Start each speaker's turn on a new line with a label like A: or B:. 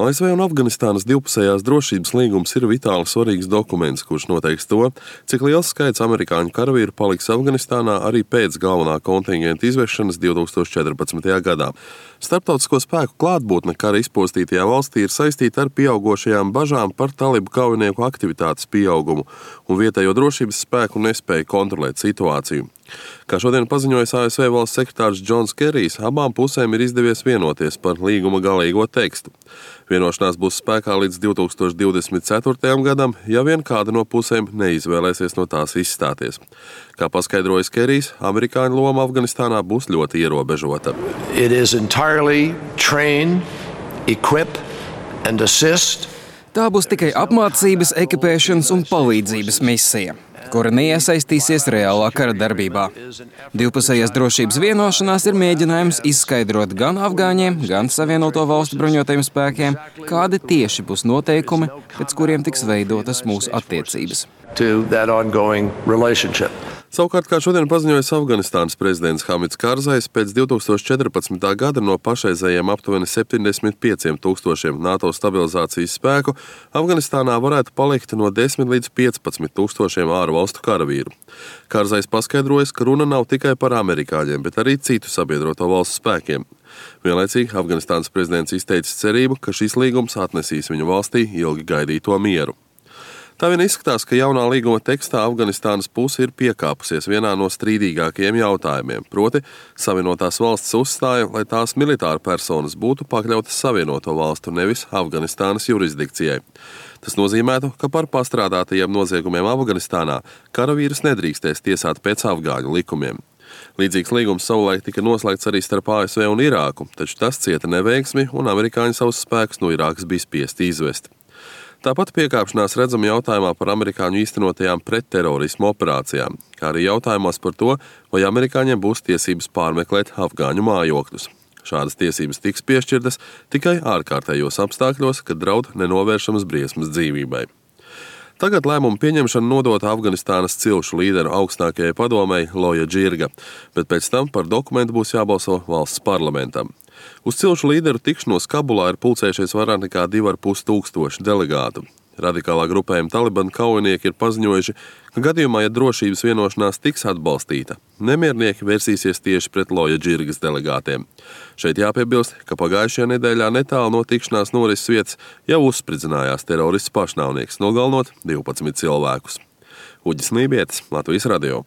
A: ASV un Afganistānas divpusējās drošības līgums ir vitāli svarīgs dokuments, kurš noteiks to, cik liels skaits amerikāņu karavīru paliks Afganistānā arī pēc galvenā kontingenta izvešanas 2014. gadā. Starptautisko spēku klātbūtne kara izpostītajā valstī ir saistīta ar pieaugošajām bažām par talibu kaujinieku aktivitātes pieaugumu un vietējo drošības spēku nespēju kontrolēt situāciju. Kā šodien paziņojis ASV valsts sekretārs Džons Kerijs, abām pusēm ir izdevies vienoties par līguma galīgo tekstu. Vienošanās būs spēkā līdz 2024. gadam, ja vien kāda no pusēm neizvēlēsies no tās izstāties. Kā paskaidrojis Kerijs, amerikāņu loma Afganistānā būs ļoti ierobežota.
B: Tā būs tikai apmācības, ekipēšanas un palīdzības misija, kura neiesaistīsies reālā kara darbībā. Divpusējās drošības vienošanās ir mēģinājums izskaidrot gan afgāņiem, gan Savienoto Valstu bruņotajiem spēkiem, kādi tieši būs noteikumi, pēc kuriem tiks veidotas mūsu attiecības.
A: Savukārt, kā šodien paziņojis Afganistānas prezidents Hamids Karzais, pēc 2014. gada no pašreizējiem aptuveni 75,000 NATO stabilizācijas spēku Afganistānā varētu palikt no 10 līdz 15,000 ārvalstu karavīru. Karzais paskaidrojas, ka runa nav tikai par amerikāņiem, bet arī citu sabiedroto valstu spēkiem. Vienlaicīgi Afganistānas prezidents izteicis cerību, ka šis līgums atnesīs viņu valstī ilgi gaidīto mieru. Tā vien izskatās, ka jaunā līguma tekstā Afganistānas puse ir piekāpusies vienā no strīdīgākajiem jautājumiem, proti Savienotās valstis uzstāja, lai tās militāra personas būtu pakļautas Savienoto valstu, nevis Afganistānas jurisdikcijai. Tas nozīmētu, ka par pastrādātajiem noziegumiem Afganistānā karavīrus nedrīkstēs tiesāt pēc afgāņu likumiem. Līdzīgs līgums savulaik tika noslēgts arī starp ASV un Irāku, taču tas cieta neveiksmi un amerikāņi savus spēkus no Irākas bija spiesti izvest. Tāpat piekāpšanās redzama jautājumā par amerikāņu īstenotajām pretterorismu operācijām, kā arī jautājumos par to, vai amerikāņiem būs tiesības pārmeklēt afgāņu mājokļus. Šādas tiesības tiks piešķirtas tikai ārkārtējos apstākļos, kad draud nenovēršamas briesmas dzīvībai. Tagad lēmumu pieņemšana nodota Afganistānas cilšu līderu augstākajai padomei Loja Džirga, bet pēc tam par dokumentu būs jābalso valsts parlamentam. Uz cilšu līderu tikšanos Kabulā ir pulcējušies vairāk nekā 2,5 delegātu. Radikālā grupējuma Taliban kaujinieki ir paziņojuši, ka gadījumā, ja drošības vienošanās tiks atbalstīta, nemiernieki vērsīsies tieši pret Loja Džirgas delegātiem. Šeit jāpiebilst, ka pagājušajā nedēļā netālu no tikšanās norises vietas jau uzspridzinājās terorists pašnāvnieks, nogalinot 12 cilvēkus. Uģis Nībietis, Latvijas radio.